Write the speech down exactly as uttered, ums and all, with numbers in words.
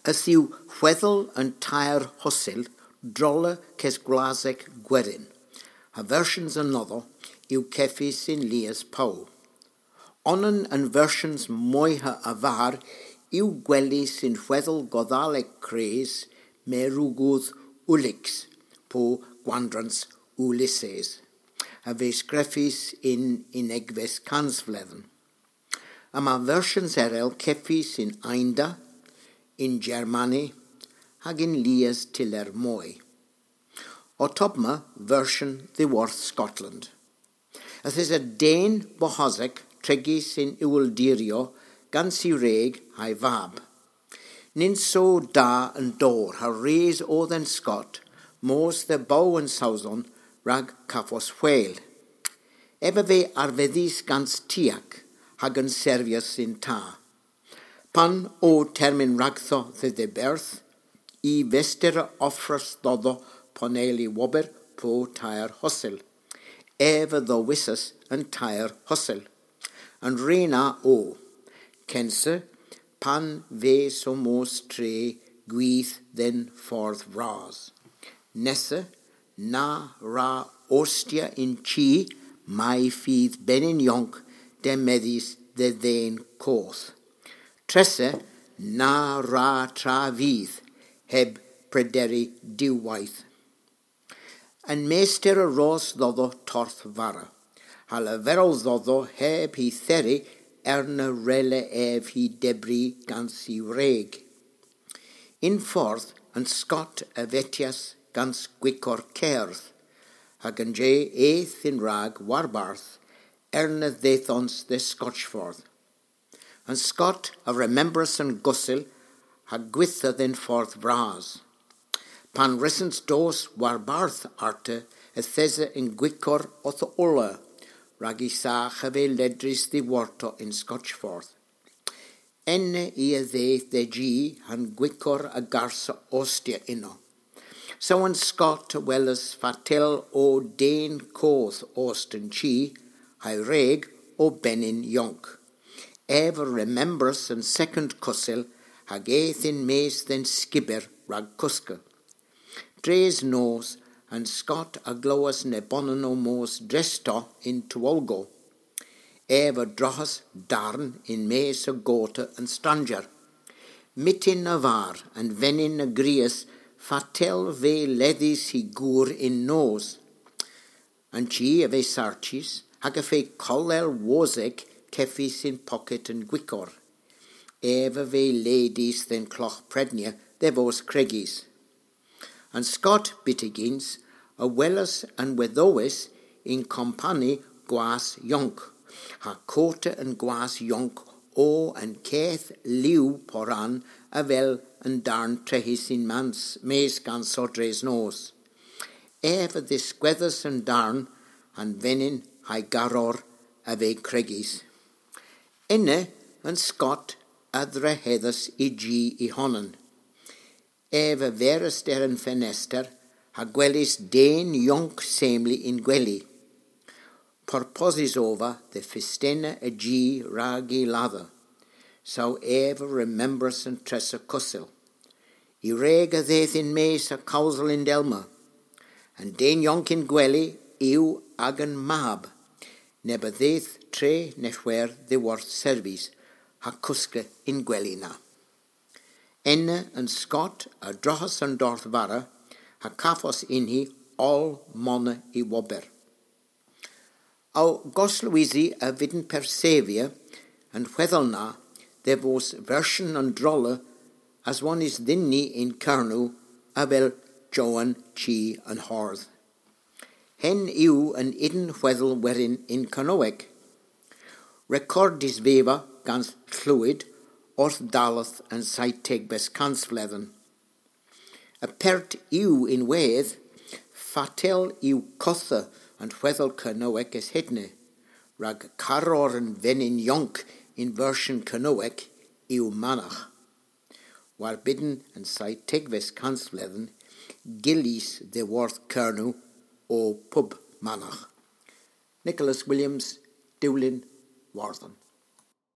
Yth yw hwedhel an teyr hosil drolla keswlasek gwerin, ha versyans anodho yw kevys yn lies pow. Onan a'n versyans moyha a-varr yw gwelys yn hwedhel Godhalek Kres, Mareugwdh Uliks, po Gwandrans Ulysses, a veu skrifys yn unnegves kansvledhen. Yma versyans erel kevys yn Eynda, yn Germani, hag yn lies tyller moy. Ottomma versyon dhyworth Skottland. Yth esa den boghosek trigys yn iweldiryow gans y wreg ha'y vab. Nyns o da an dowr ha res o dhe'n Skott mos dhe Bow an Sowson rag kavos hwel. Ev a veu arvedhys gans tiak hag a'n servyas yn ta. Pan o termyn ragdho dhe dhiberth, y vester a offras dhodho ponnel y wober po teyr hosil. Ev a dhowisas an teyr hosil. An re na o. Kynsa, pan veu ow mos tre gwith dhe'n fordh vras. Nessa, na wra ostya yn chi may fydh benyn yonk demedhys dhe dhen koth. Tressa, na wra travyth heb prederi diwweyth. An mester a ros dhodho torth vara, ha leverel dhodho heb hy theri erna wrella ev hy debri gans y wreg. Yn fordh an Skott a vetyas gans gwikor kerdh, hag an je eth yn rag warbarth erna dheuthons dhe Skotchfordh. An Skott a remembras an gosil ha gwitha dhe'n fordh vras. Pan wrussons dos warbarth arta yth esa an gwikor owth ola, rag y sagh a veu ledrys dhiworto yn Skotchfordh. Ena i a dheuth dhe ji ha'n gwikor a garsa ostya ynno. Saw an Skott a welas fatel o den koth ost an chi, ha'y wreg o benyn yonk. Ev a remembras an sekond kosil hag eth yn-mes dhe'n skiber rag koska. Dres nos an Skott a glowas nebonan ow mos dresto yn towolgow. Ev a droghas darn yn-mes a gota an stranger. Myttin a-varr an venyn a grias fatel veu ledhys hy gour yn nos. An chi a veu sartys hag y feu kollel wosek kevys yn poket an gwikor. Ev a veu ledys dhe'n klogh prednya dhe vos kregys. An Skott byttegyns a welas an wedhowes yn kompani gwas yonk, ha kota an gwas yonk o an keth liw poran avel an darn trehys yn-mes gans sodres nos. Ev a dhiskwedhas an darn ha'n venyn ha'y garor a veu kregys. Ena an Skott a dhrehedhas y ji y honan. Ev a veras der an fenester ha gwelys den yonk semli yn gweli. Porposys ov vy dhe festenna a ji rag y ladha. Saw ev a remembras an tressa kosil. Y wreg a dheuth yn-mes ha kowsel yndellma. An den yonk yn gweli yw agan mab, neb a dheuth tre neb hwer dhiworth servis ha koska yn gweli na. Ena an Skott a droghas an dorth vara ha kavos yn-hi oll mona y wober. Ow goslowysi a vydn persevya an hwedhel na dhe vos versyon an drolla aswonnys dhyn ni yn Kernow avel Jowan Chi an Hordh. Henn yw an ynn hwedhel werin yn Kernowek. Rekordys veu vy gans Lhewyd orth dalleth an seytegves kansvledhen. Apert yw ynwedh fatel yw kottha an hwedhel Kernowek es hedna, rag karor an venyn yonk yn versyon Kernowek yw managh. War bydn an seytegves kansvledhen, gyllys dhiworth Kernow o pub managh. Nicholas Williams, Dewlin, Wardhan.